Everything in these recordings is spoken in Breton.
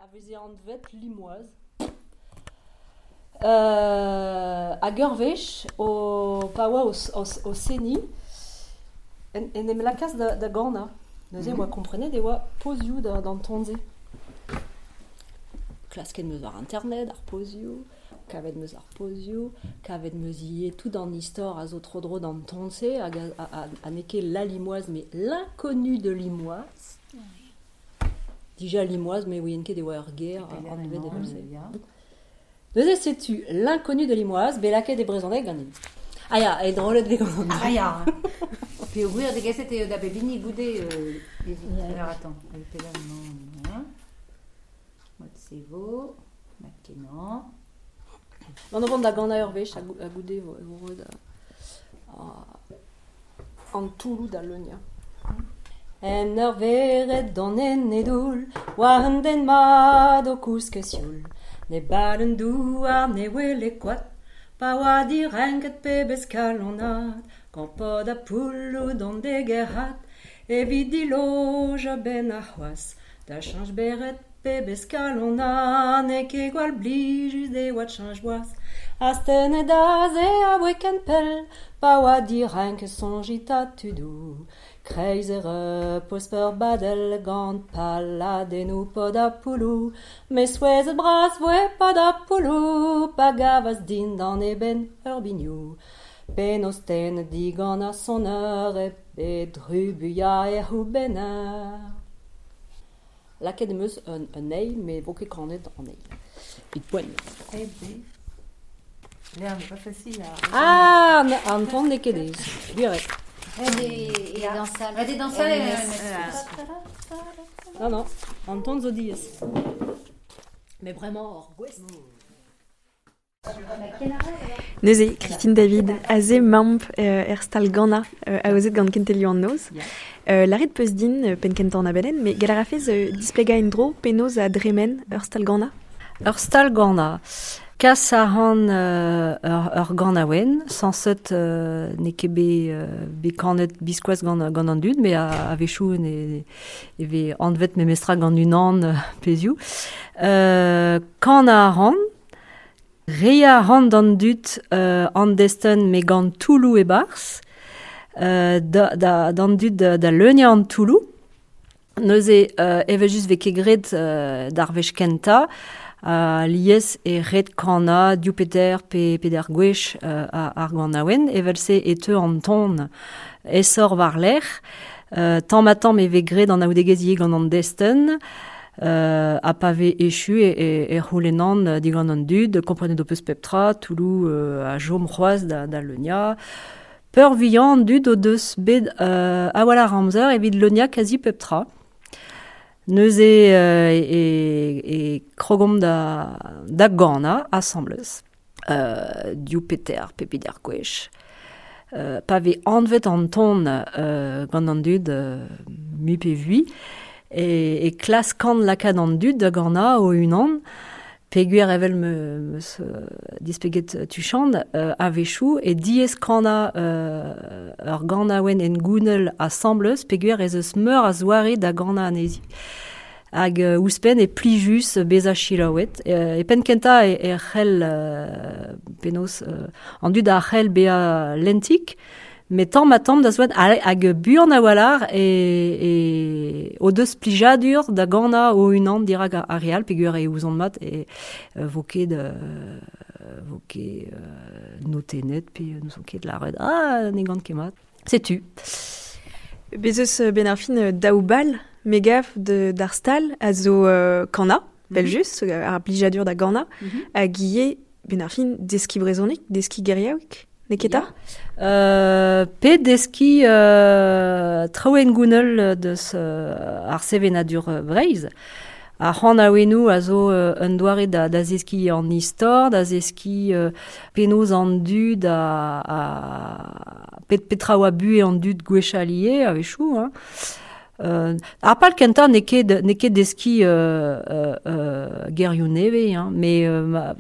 A veze anvet Limoaz. Hag ur wech, o, pa oa o, o, o seniñ, en, en em lakaas da, da ganañ. Neuze e oa komprenet e oa pozioù da, d'an ton-se. Klasket 'm eus war internet ar pozioù, kavet 'm eus ar pozioù, kavet 'm eus ivez tout an istor a zo tro-dro d'an ton-se hag a n'eo ket la Limoise mais l'inconnu de Limoise. Dija Limoise, mais ouien ket e oa ur ger anvet evel-se. Neuze setu l'inconnu de Limoise, bet lakaet e brezhoneg ganin. Ah ya, e drollet vez gant an Ah ya. Peogwir degaset eo da bep hini goude Alors attends, Mod-se vo, mat-kenañ. Gant o vont da ganañ ur wech ha goude e vo roet an toulloù da leuniañ. En ur vered don en e doull, war un den mat o kousket sioul. Ne bad un douar ne wele koad, pa oa direnket pebezh kalonad, gant pod ha poulloù d'hon degerc'hat, evit dilojañ 'benn arc'hoazh. Da cheñch bered pebezh kalonad, n'eo ket gwall blijus e oad cheñch boaz. Astennet aze aboe ken pell, pa oa direnket soñjit 'ta tudoù. Kreiz e repoz peurbadel gant paladennoù pod ha poulloù. Met souezhet bras voe pod ha poulloù pa gavas dindan e benn ur biniou. Penaos tennet digant ar soner e drubuilhañ e c'houbenner. Lakaet em eus un, un eil, met vo ket kanet an eil. Evit poent. Eh ben. L'air n'est pas facile à... Ah, an ton n'eo ket aes. Gwir eo. Et dans salle. Vas-y, dans salle. Non, non, an ton zo diaes. Mais vraiment hor gouest. Neuze, Christine David, aze mamp er stal ganañ aozet gant Kentelioù an Noz. Lâret peus din penn-kentañ an abadenn, met gall a rafez displegañ en-dro penaos a dremen ur stal ganañ? Ur stal ganañ. Kas a ran ur ganaouenn, sañset n'eo ket bet kanet biskoazh gant an dud, met a-wechoù e vez anvet memestra gant unan pezhioù. Kanañ a ran, Reiñ a ran d'an dud an destenn met gant toulloù e-barzh, d'an dud da leuniañ an toulloù. Neuze evel-just 'vez ket graet d'ar wech kentañ. Alies e ret kanañ div pe teir pe peder gwech ar ganaouenn. Evel-se e teu an ton aesoc'h war-lerc'h. Tamm-ha-tamm e vez graet anaoudegezh ivez gant an destenn. Ha pa vez echu e c'houlennan digant an dud, komprenet ho peus pep tra, toulloù a chom c'hoazh da leuniañ. Peurvuiañ an dud o deus bet a-walc'h amzer evit leuniañ kazi pep tra. Neuze e krogomp da ganañ asambles, div pe teir pe peder gwech. Pa vez anvet an ton gant an dud mui pe vui, e klaskan lakaat an dud da ganañ o-unan, peogwir evel 'm eus displeget tuchant, a-wechoù e diaes kanañ ur ganaouenn hengounel asambles peogwir ez eus meur a zoare da ganañ anezhi. Hag ouzhpenn e plijus bezañ selaouet. E penn-kentañ e c'hell penaos an dud a c'hell bezañ lentik, met tamm-ha-tamm da zoad hag buan a-walc'h e o deus plijadur da ganañ o-unan dirak ar re all peogwir e ouzont mat e vo ket vo ket notennet pe n'ouzon ket lâret ah ne gan ket mat. Setu. Bez eus benn ar fin daou bal me gav d'ar stal a zo kanañ, evel-just, ar blijadur da ganañ, hag ivez benn ar fin deskiñ brezhoneg, deskiñ geriaoueg, n'eo ket 'ta? Pe deskiñ traoù hengounel deus ar sevenadur Breizh. Ar c'hanaouennoù a zo un doare da zeskiñ an istor, da zeskiñ penaos an dud a petra oa buhez an dud gwechall ivez a-wechoù. Hein. Ar pal kentañ n'eo ket deskiñ gerioù nevez, hein, met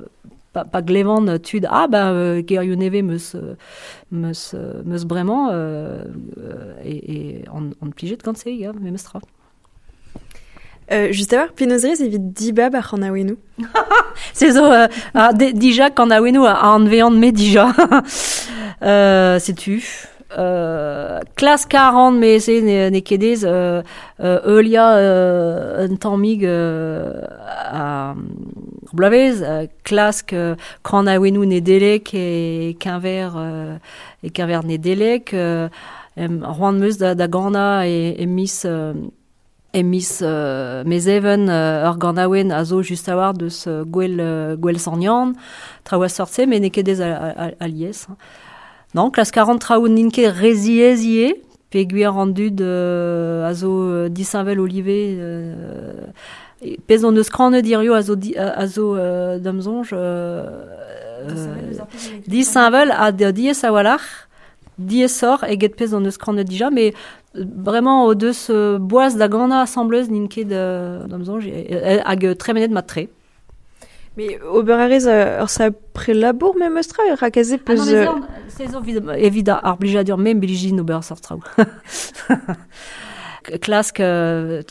pa glevan tud ah ben gerioù nevez 'meus bremañ e on plijet gant se, ya, memes tra. Just a-walc'h, penaos rez evit dibab ar c'hanaouennoù? Se zo dija kanaouennoù a anvean me dija. Setu. Klask a ran me se n'eo ket aes heuliañ un tammig ar bloavezh, klask kanaouennoù Nedeleg e-keñver Nedeleg. C'hoant 'm eus da ganañ e miz E miz Mezheven, ur ganaouenn a zo just a-walc'h deus Gouel Sant-Yann, traoù a seurt-se, met n'eo ket aes alies. Non, klask a ran traoù n'int ket re ziaes ivez, peogwir an dud a zo disheñvel o live. Pezh hon eus kanet hiziv a zo da'm soñj disheñvel ha diaes a-walc'h. Diaesoc'h eget pezh hon eus kanet dija, met bremañ o deus boaz da ganañ asambles n'int ket da'm soñj hag tremenet mat-tre. Mais ober a rez ur sapre labour memes tra rak aze peus... Ah non, se zo evit ar blijadur me blijin ober seurt traoù. Klask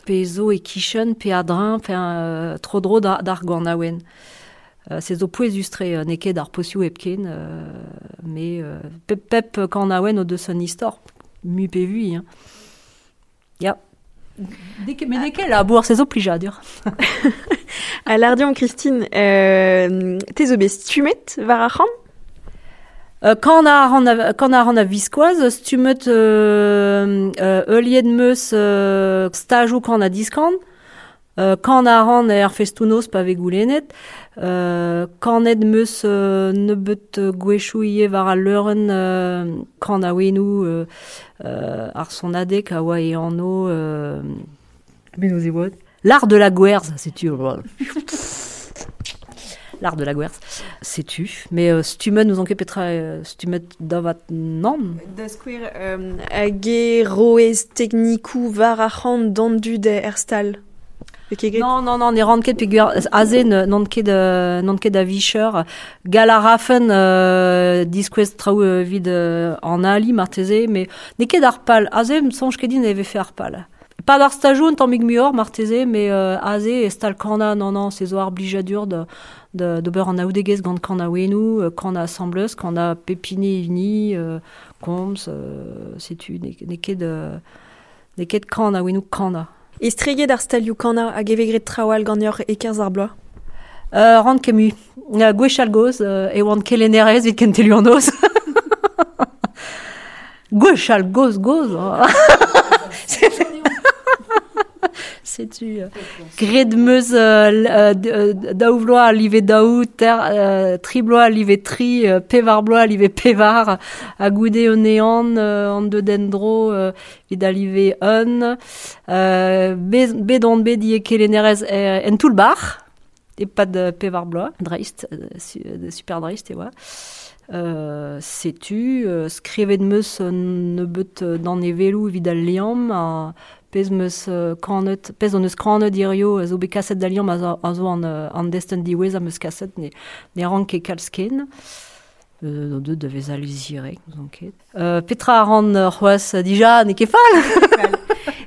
pe zo e-kichen pe a-dreñv pe tro-dro d'ar ganaouenn. Se zo pouezus-tre, n'eo ket ar pozioù hepken, met pep kanaouenn o deus un istor, mui pe vui. Hein. Ya. Met n'eo ket labour, se zo plijadur. Ha lâr deomp, Christine, te zo bet stummet war ar c'han? Kan a ran a-viskoazh, stummet heuliet 'm eus stajoù kan-ha-diskan. Kan a ran er festoù-noz pa vez goulennet. Kanet 'm eus nebeut gwechoù ivez war al leurenn kanaouennoù ar sonadeg a oa e anv penaos e oa? L'art de la gwerz, setu. L'art de la gwerz, setu. Mais stummet n'ouzon ket petra stummet davat nann. Da skouer, hag e roez teknikoù war ar c'han d'an dud er stal? Non, non, non, ne ran ket peogwir aze n'on ket n'on ket a-vicher. Gall a rafen diskouez traoù evit an ali marteze, met n'eo ket ar pal. Aze ne soñj ket din e vefe ar pal. Pas d'ar stajoù un tammig muioc'h marteze, met aze e stal kanañ, non, non, se zo ar blijadur d'ober anaoudegezh gant kanaouennoù, kanañ asambles, kanañ pep hini hini, komz, setu, n'eo ket n'eo ket kanaouennoù kanañ. Estreget ar stalioù kanañ hag e vez graet traoù all ganeoc'h e-kerzh ar bloaz? Ran ket mui. Gwechall gozh e oan kelennerez evit kentelioù an noz. Gwechall gozh gozh. Setu graet 'm eus daou vloaz a live daou, tri bloaz a live tri, pevar bloaz a live pevar, ha goude un ehan an deut en-dro evit al live un. Bet on bet ivez kelennerez en toull-bac'h e-pad pevar bloaz, dreist, super dreist e oa. Setu, skrivet 'm eus un nebeut danevelloù evit al liamm, ha pezh 'm eus kanet, pezh hon eus kanet hiziv a zo bet kaset d'al liamm a zo an destenn diwezhañ 'm eus kaset, ne ran ket kalz ken. Deuet da vezañ lizhirek, n'ouzon ket. Petra a ran c'hoazh dija, n'eo ket fall.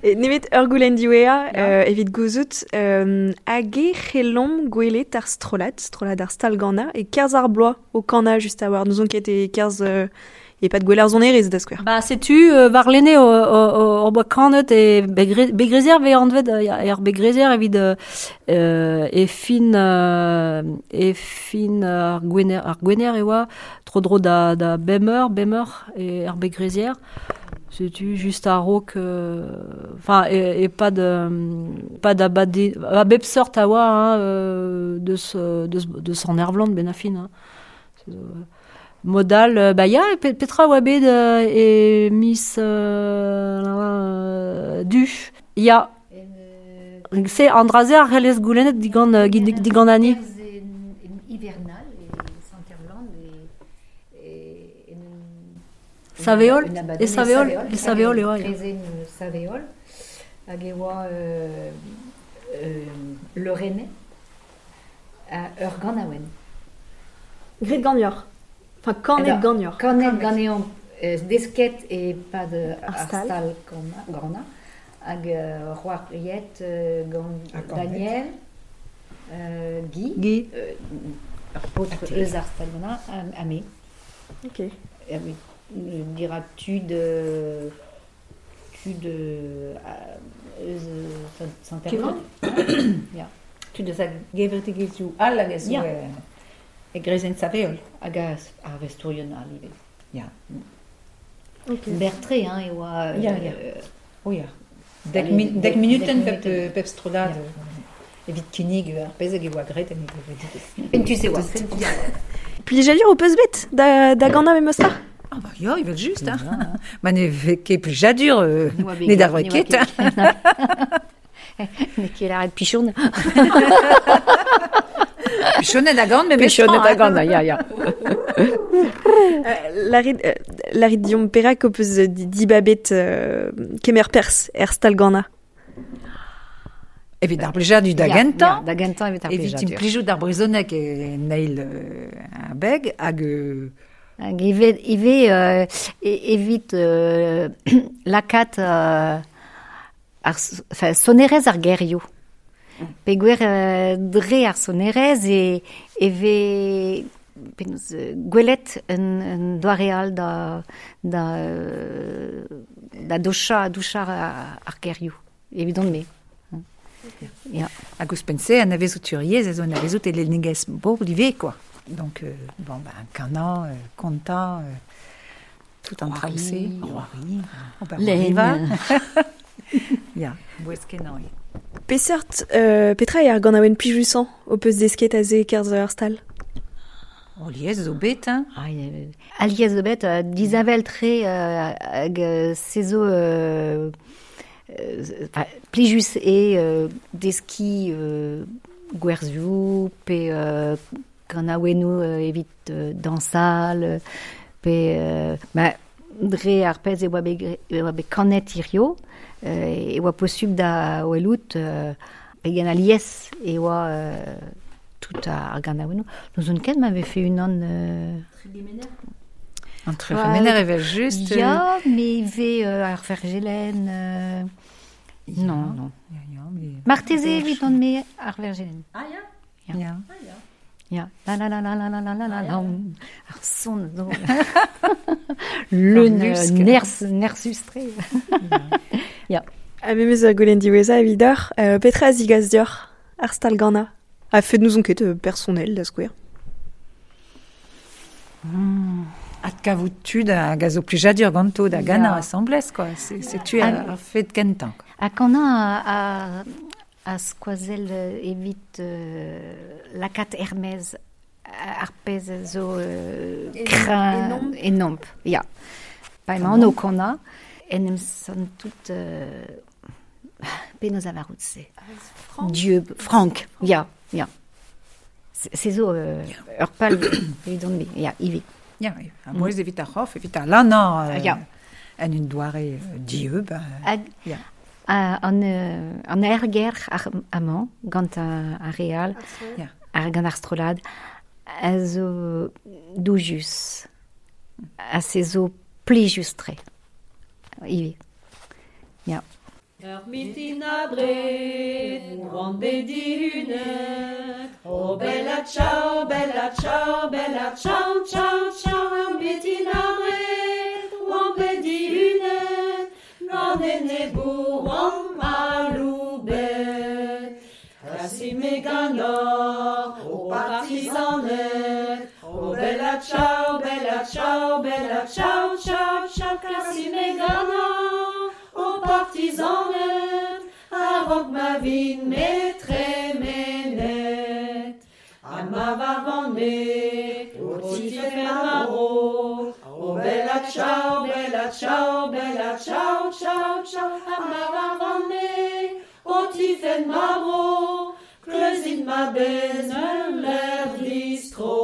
Nemet ur goulenn diwezhañ evit gouzout hag e c'hellomp gwelet ar strollad, strollad ar stal-ganañ, e-kerzh ar bloaz o kanañ just a-walc'h. N'ouzon ket e-kerzh e-pad gwell ar sonerezh da skouer. Ba setu warlene hor boa kanet e Begrezier vez anvet er Begrezier evit e fin e fin ar Gwener ar Gwener e oa tro-dro da da bemp eur bemp eur er Begrezier. Setu just a-raok enfin e-pad pad abade a bep seurt a oa hein, deus deus deus an Ervlan benn ar fin hein. Mod all, bah ya, petra a oa bet e miz Du? Ya. Se, an dra-se a c'hellez goulennet digant, digant Annie. Hivernal e Sant-Ervlan e Saveol? E Saveol? E Saveol eo. Krezenn Saveol. Hag e oa leurennet ur ganaouenn. Graet ganeoc'h. Enfin, kanet ganeoc'h. Kanet ganeomp, desket e-pad ar stal ganañ. Hag c'hoariet gant Daniel, Guy, Guy. Ur paotr eus ar stal-ganañ, ha me. Ok. Dira tud tud eus Sant-Erwan. Ya. Tud eus ar gevredigezhioù all hag a zo e greizenn Saveol. Hag ar vestourien all ivez. Ya. Ok. Berr-tre hein, e oa... Ya, ya. Oh ya. Dek minuten pep strollad evit kinnig ar pezh hag e oa graet en e gevredigezh. Fentus e oa. Plijadur ho peus bet da ganañ memes tra? Ah bah ya, evel-just. Hein. Ma ne vez ket plijadur, ne d'ar ket. Ne ket lâret pichon. Pichonet a gant, memes Pichonet a gant, ya, ya. Lârit deomp perak ho peus dibabet kemer perzh er stal-ganañ? Evit ar blijadur da gentañ. Da gentañ evit ar blijadur. Evit implijout ar brezhoneg en eil abeg hag... Hag ivez evit lakaat ar sonerezh ar gerioù. Peogwir dre ar sonerezh e vez gwelet un doare all da douchañ ar gerioù, evidon-me. Ya. Hag ouzhpenn-se, anavezout ur yezh a zo anavezout e lennegezh bobl ivez, quoi. Donc, bon, ben, kanañ, kontañ, tout an traoù-se. C'hoari. Lenn. Ya, bouez-kenañ eo. Peseurt, petra eo ar ganaouenn plijusañ ho peus desket aze e-kerzh ar stal? Oh, lies zo bet, hein. Alies zo bet, disheñvel-tre hag se zo plijus eo deskiñ gwerzioù pe kanaouennoù evit dañsal pe ma dre ar pezh e oa bet kanet hirio e oa posubl da welout pegen alies e oa tout ar ganaouennoù. N'ouzon ket ma vefe unan... An Tregemener evel-just. Ya, mais ivez ar Vergelen... Non, non. Marteze evit on me ar Vergelen. Ah ya? Ya. Ya. La la la la la la la la la. Ar son zo. Le nerzhus-tre. Ya. Ha memes ur goulenn diwezhañ evidoc'h, petra a zigas deoc'h ar stal-ganañ? A fed n'ouzon ket personnel, da skouer. Adkavout tud hag a zo plijadur ganto da ganañ asambles, quoi. Setu ar fed kentañ. Ha kanañ a skoazell evit lakaat er-maez ar pezh a zo kreñv enomp. Ya. Pa emaon o kanañ, en em santout penaos lavarout se. Dieu, frank, ya, ya. Se zo ur pal evidon-me, ya, ivez. Ya, a bouez evit ar c'horf, evit ar lanañ en un doare dieub. Ya. An aergelc'h amañ, gant ar re all, gant ar strollad, a zo doujus, ha se zo plijus-tre, ivez. Ya. Ur mintin abred, oan bet dihunet. Oh bella ciao, bella ciao, bella ciao, ciao, ciao. Ur mintin abred, oan bet dihunet. Gant enebour oan aloubet. Kasi me ganeoc'h, o partizanet. Oh bella ciao, bella ciao, bella ciao, ciao, ciao. Kasi me ganeoc'h, o partizanet, a-raok ma vin me tremenet. Ha ma varvan-me, o tifenn ma bro. O bella ciao, bella ciao, bella ciao, ciao, ciao. Ha ma varvan-me, o tifenn ma bro. Kleuzit ma bez en ur distro.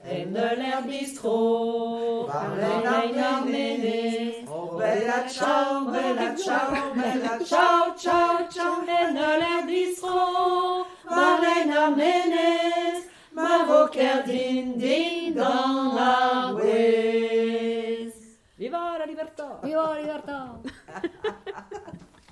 En ur distro, war lein ar menez. Oh bella ciao, bella ciao, bella ciao, ciao, ciao. En ur distro, war lein ar menez. Ma vo kerdin din gant ar gwez. Viva la libertà! Viva la libertà!